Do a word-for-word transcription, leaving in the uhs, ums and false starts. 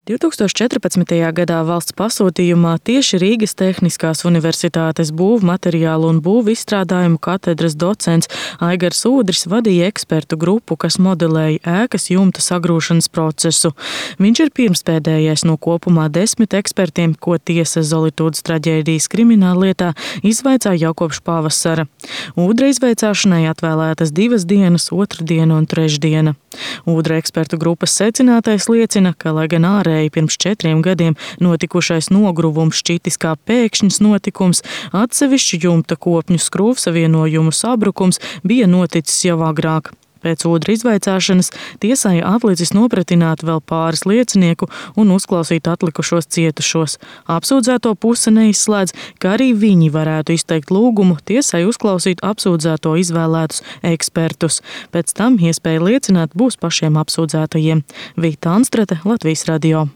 divtūkstoš četrpadsmitajā gadā valsts pasūtījumā tieši Rīgas Tehniskās universitātes būvmateriālu un būvizstrādājumu katedras docents Aigars Ūdris vadīja ekspertu grupu, kas modelēja ēkas jumta sagrūšanas procesu. Viņš ir pirmspēdējais no kopumā desmit ekspertiem, ko tiesa Zolitūdas traģēdijas krimināllietā izvaicāja jau kopš pavasara. Ūdra izvaicāšanai atvēlētas divas dienas, otrdiena un trešdiena. Ūdra ekspertu grupas secinātais liecina, ka, lai gan ārēji pirms četriem gadiem notikušais nogruvums šķitis kā pēkšņs notikums, atsevišķu jumta kopņu skrūvsavienojumu sabrukums bija noticis jau agrāk. Pēc Ūdra izvaicāšanas tiesai atlicis nopratināt vēl pāris liecinieku un uzklausīt atlikušos cietušos. Apsūdzēto puse neizslēdz, ka arī viņi varētu izteikt lūgumu tiesai uzklausīt apsūdzēto izvēlētus ekspertus. Pēc tam iespēja liecināt būs pašiem apsūdzētajiem. Vīta Anstrate, Latvijas radio.